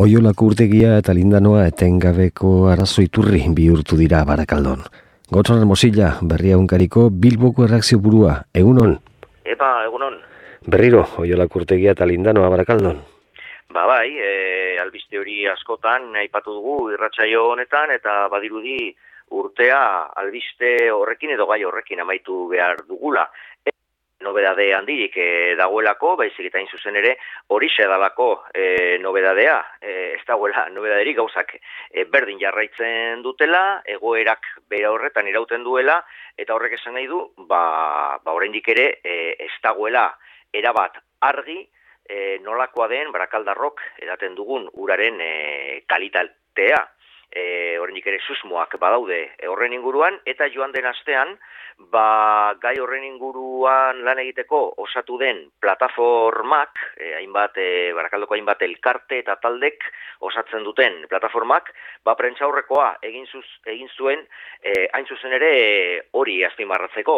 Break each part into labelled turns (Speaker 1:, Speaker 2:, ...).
Speaker 1: Oiolako urtegia eta lindanoa etengabeko arazo iturri bihurtu dira Barakaldon. Gotzoran Mosilla, Berria Egunkariko Bilboko erreakzio burua, egunon?
Speaker 2: Egunon.
Speaker 1: Berriro, Oiolako urtegia eta lindanoa Barakaldon.
Speaker 2: Bai, albiste hori askotan aipatu dugu irratsaio honetan, eta badirudi urtea albiste horrekin edo gai horrekin amaitu behar dugula. Nobedade handirik dagoelako, baizik eta zuzen ere horixe dalako nobedadea, ez dagoela nobedaderik gauzak berdin jarraitzen dutela, egoerak bere horretan irauten duela, eta horrek esan nahi du, oraindik ere ez dagoela erabat argi nolakoa den Barakaldarrok edaten dugun uraren kalitatea. Oraindik ere susmoak badaude horren inguruan, eta joan den astean, gai horren inguruan lan egiteko osatu den plataformak, Barakaldoko hainbat elkarte eta taldek osatzen duten plataformak, prentsaurrekoa egin zuen, hain zuzen ere hori azpimarratzeko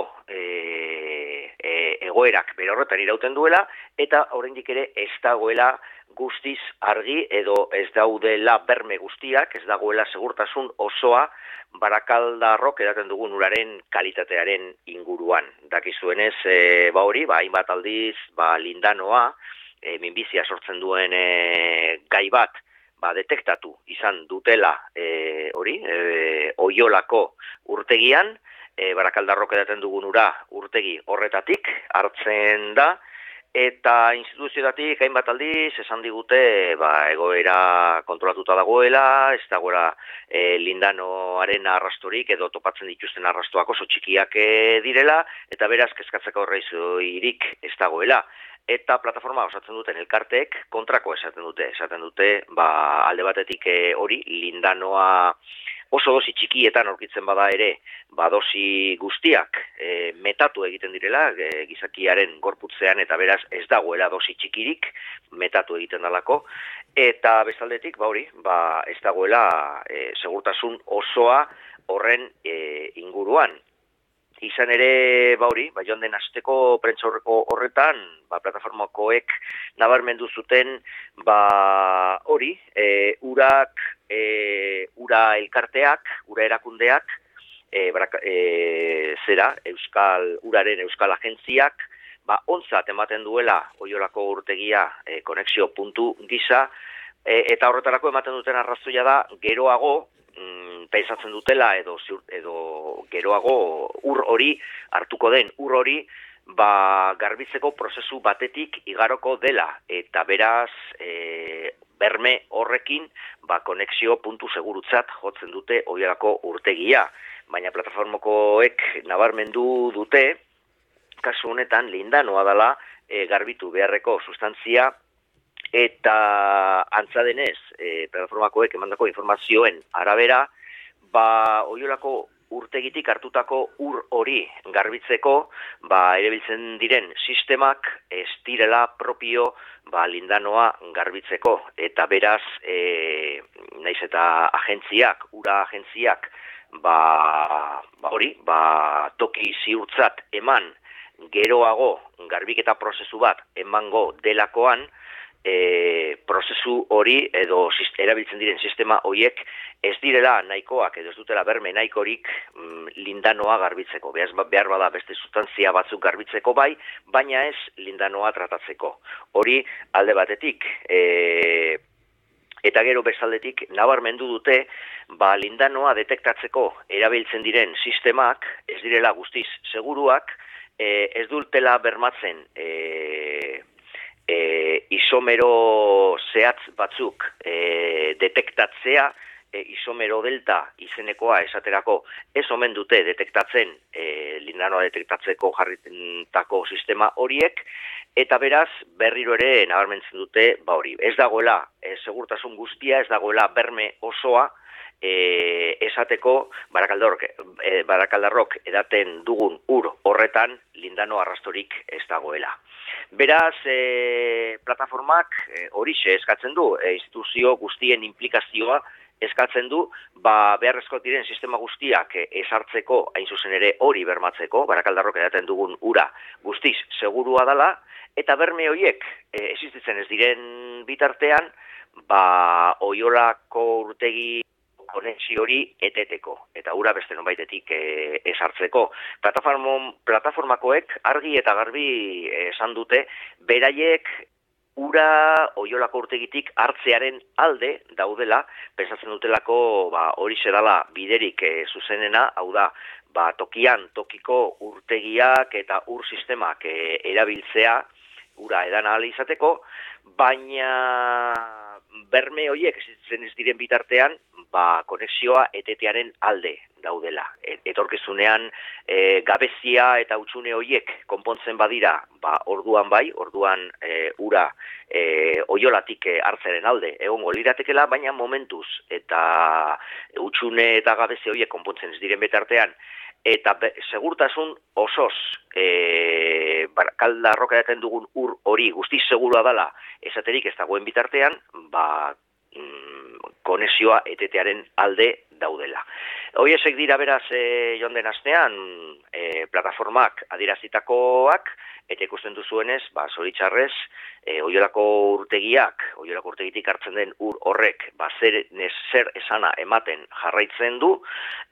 Speaker 2: egoerak bere horretan irauten duela, eta oraindik ere ez dagoela guztiz argi edo ez daudela berme guztiak, ez dagoela segurtasun osoa Barakaldarrok edaten dugun uraren kalitatearen inguruan. Dakizuenez, hainbat aldiz, lindanoa, minbizia sortzen duen gai bat, detektatu izan dutela Oiolako urtegian, Barakaldarrok edaten dugun ura urtegi horretatik hartzen da, eta instituzioetatik hainbat aldiz esan digute egoera kontrolatuta dagoela, ez dagoela lindanoaren arrastorik edo topatzen dituzten arrastoak oso txikiak direla, eta beraz kezkatzeko horreizurik ez dagoela. Eta plataforma osatzen duten elkarteek kontrako esaten dute alde batetik hori lindanoa oso dosi txikietan aurkitzen bada ere, dosi guztiak metatu egiten direla gizakiaren gorputzean, eta beraz ez dagoela dosi txikirik metatu egiten dalako, eta bestaldetik ez dagoela segurtasun osoa horren inguruan. Izan ere, joan den asteko prentsaurreko horretan, plataformakoek nabarmendu zuten, ura elkarteak, ura erakundeak, uraren euskal agentziak, ontzat ematen duela Oiolako urtegia konexio puntu gisa, eta horretarako ematen duten arrazoia da, geroago, pensatzen dutela edo geroago hartuko den ur hori garbitzeko prozesu batetik igaroko dela, eta beraz berme horrekin konexio puntu segurutzat jotzen dute Oiolako urtegia, baina plataformakoek nabarmendu dute kasu honetan lindanoa dela garbitu beharreko sustantzia, eta antza denez, plataformakoek emandako informazioen arabera, Oiolako urtegitik hartutako ur hori garbitzeko, erabiltzen diren sistemak ez direla propio lindanoa garbitzeko, eta beraz, naiz eta agentziak, ura agentziak, toki ziurtzat eman geroago garbiketa prozesu bat emango delakoan, prozesu hori edo erabiltzen diren sistema horiek ez direla nahikoak edo ez dutela berme nahikorik lindanoa garbitzeko. Behar bada beste sustantzia batzuk garbitzeko baina ez lindanoa tratatzeko. Hori alde batetik, eta gero bestaldetik nabarmendu dute, lindanoa detektatzeko erabiltzen diren sistemak ez direla guztiz seguruak, ez dutela bermatzen isomero zehatz batzuk detektatzea, isomero delta izenekoa esaterako ez omen dute detektatzen lindanoa detektatzeko jarritako sistema horiek, eta beraz berriro ere nabarmentzen dute ez dagoela segurtasun guztia, ez dagoela berme osoa esateko Barakaldarrok edaten dugun ur horretan lindano arrastorik ez dagoela. Beraz, plataformak horixe eskatzen du, instituzio guztien implikazioa eskatzen du, beharrezko diren sistema guztiak ezartzeko, hain zuzen ere hori bermatzeko, Barakaldarrok edaten dugun ura guztiz segurua dela, eta berme horiek existitzen ez diren bitartean, Oiolako urtegi konexio hori eteteko, eta ura beste nonbaitetik ezartzeko. Plataformakoek argi eta garbi esan dute, beraiek ura Oiolako urtegitik hartzearen alde daudela, pensatzen dutelako hori dela biderik zuzenena, hau da, tokian tokiko urtegiak eta ur sistemak erabiltzea, ura edan ahal izateko, baina berme horiek existitzen ez diren bitartean, konexioa etetearen alde daudela. Etorkizunean gabezia eta hutsune horiek konpontzen badira, orduan ura Oiolatik hartzeren alde egongo liratekela, baina momentuz eta hutsune eta gabezia horiek konpontzen ez diren bitartean, eta segurtasun osoz Barakaldarrok edaten dugun ur hori guztiz segurua dela esaterik ez dagoen bitartean, konexioa etetearen alde daudela. Horiek dira beraz joan den astean plataformak adierazitakoak, eta ikusten duzuenez, zoritxarrez, Oiolako urtegitik hartzen den ur horrek, zer esana ematen jarraitzen du,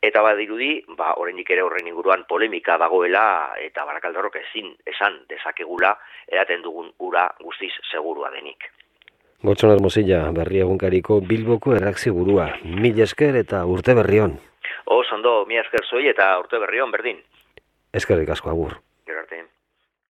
Speaker 2: eta badirudi, oraindik ere horren inguruan polemika dagoela, eta Barakaldarrok ezin esan dezakegula, edaten dugun ura guztiz segurua denik.
Speaker 1: Gotxon Hermosilla, berri egunkariko Bilboko erreakzio burua. Mila esker eta urte berri on.
Speaker 2: Ondo, mila esker zoi eta urte berri on, berdin.
Speaker 1: Eskerrik asko, agur.